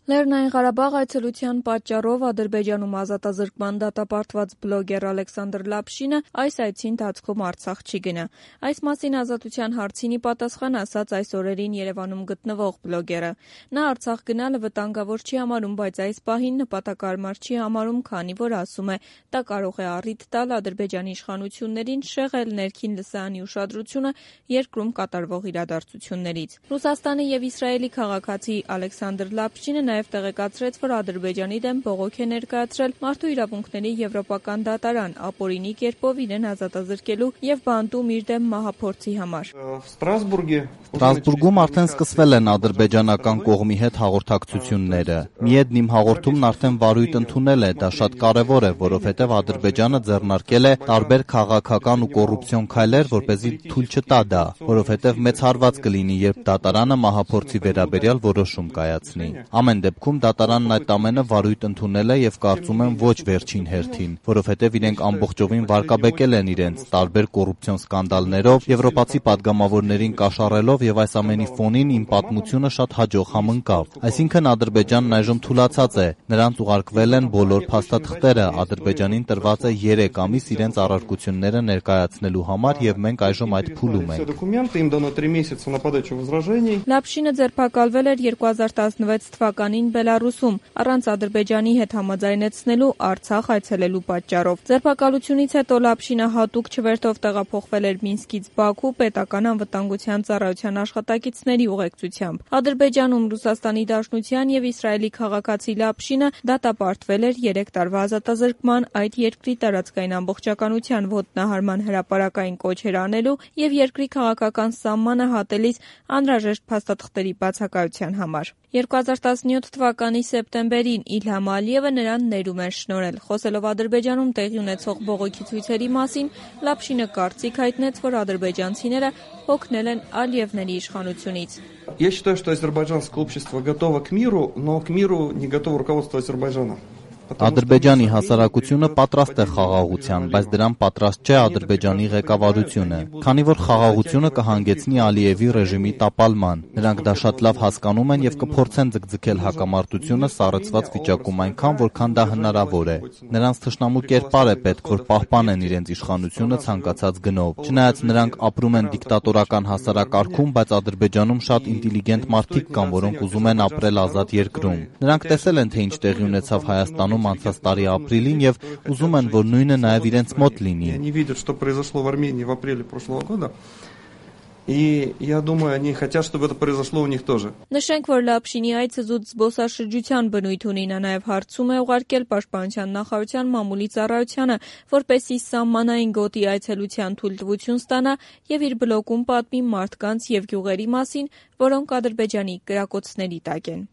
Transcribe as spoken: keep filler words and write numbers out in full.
Լեռնային Ղարաբաղ այցելության պատճառով Ադրբեջանում ազատազրկման դատապարտված բլոգեր Ալեքսանդր Լապշինը այս այցի ընթացքում Արցախ չի գնա։ Այս մասին Ազատության հարցին ի պատասխան ասաց այս օրերին Երևանում գտնվող բլոգերը։ Նա Արցախ գնալը վտանգավոր չի համարում, բայց այս պահին նպատակարար չի համարում, քանի որ ասում է, դա կարող է առիթ տալ Ադրբեջանի իշխանություններին շեղել ներքին լսարանի ուշադրությունը երկրում կատարվող իրադարձություններից։ Ռուսաստանի և Իսրայելի քաղաքացի Ալեքսանդր Լապշինը նաև տեղեկացրեց, որ Ադրբեջանի դեմ բողոք է ներկայացրել Մարդու իրավունքների եվրոպական դատարան ապօրինի կերպով իրեն ազատազրկելու և բանտում իր դեմ մահափորձի համար։ Ստրասբուրգում արդեն սկսվել են ադրբեջանական կողմի հետ հաղորդակցությունները։ Միեդն իմ հաղորդումն արդեն վարույթ ընդունել է, դա շատ կարևոր է, որովհետև Ադրբեջանը ձեռնարկել է տարբեր քաղաքական ու կոռուպցիոն քայլեր, որպեսզի թույլ չտա դա, որովհետև մեծ հարված կլինի, երբ դատարանը մահափորձի վերաբերյալ որոշում կայացնի։ Ամեն դեպքում դատարանն այդ ամենը վարույթ ընդունել է և կարծում եմ ոչ վերջին հերթին, որովհետև իրենք ամբողջովին վարկաբեկել են իրենց տարբեր կոռուպցիոն սկանդալներով, եվրոպացի պատգամավորներին կաշառելով և այս ամենի ֆոնին իմ պատմությունը շատ հաջող համընկավ։ Այսինքն Ադրբեջանն այժմ թուլացած է, նրանց ուղարկվել են բոլոր փաստաթղթերը, Ադրբեջանին տրված է երեք ամիս իրենց առարկությունները ներկայացնելու համար և մենք այժմ այդ փուլում ենք։ Լապշինը ձերբակալվել էր երկու հազար տասնվեց թվականին Բելառուսում առանց Ադրբեջանի հետ համաձայնեցնելու Արցախ այցելելու պատճառով։ Ձերբակալությունից հետո Լապշինը հատուկ չվերթով տեղափոխվել էր Մինսկից Բաքու պետական անվտանգության ծառայության աշխատակիցների ուղեկցությամբ։ Ադրբեջանում Ռուսաստանի Դաշնության և Իսրայելի քաղաքացի Լապշինը դատապարտվել էր երեք տարվա ազատազրկման, այդ երկրի տարածքային ամբողջականության ոտնահարման հրապարակային կոչեր անելու և երկրի քաղաքական սահմանը հատելիս անհրաժեշտ փաստաթղթերի բացակայության համար։ երկու հազար տասնյոթ թվականի սեպտեմբերին Իլհամ Ալիևը նրան ներում էր շնորհել։ Խոսելով Ադրբեջանում տեղի ունեցող բողոքի ցույցերի մասին, Լապշինը կարծիք հայտնեց, որ ադրբեջանցիները օգնել են Ալիևների իշխանությունից։ Я считаю, что азербайджанское общество готово к миру, но к миру не готово руководство Азербайджана. Ադրբեջանի հասարակությունը պատրաստ է խաղաղության, բայց դրան պատրաստ չէ Ադրբեջանի ղեկավարությունը, քանի որ խաղաղությունը կհանգեցնի Ալիևի ռեժիմի տապալման։ Նրանք դա շատ լավ հասկանում են և կփորձեն ձգձգել հակամարտությունը սառեցված վիճակում այնքան, որքան դա հնարավոր է։ Նրանց թշնամու կերպար է պետք, որ պահպանեն իրենց իշխանությունը ցանկացած գնով։ Չնայած նրանք ապրում են դիկտատորական հասարակարգում, բայց Ադրբեջանում շատ ինտելիգենտ մարդիկ կան, որոնք ուզում են ապրել ազատ երկրում։ Նրանք տեսել են, թե ինչ տեղի ունեցավ Հայաստանում անցած տարի ապրիլին և ուզում են, որ նույնը նաև իրենց մոտ լինի։ И я думаю, они хотят, чтобы это произошло у них тоже. Նշենք, որ Լապշինի այցը զուտ զբոսաշրջության բնույթ ունի, նա նաև հարցում է ուղարկել Պաշտպանության նախարարության մամուլի ծառայությանը, որպեսզի սահմանային գոտի այցելության թույլտվություն ստանա և իր բլոգում պատմի մարդկանց և գյուղերի մասին, որոնք Ադրբեջանի կրակոցների տակ են։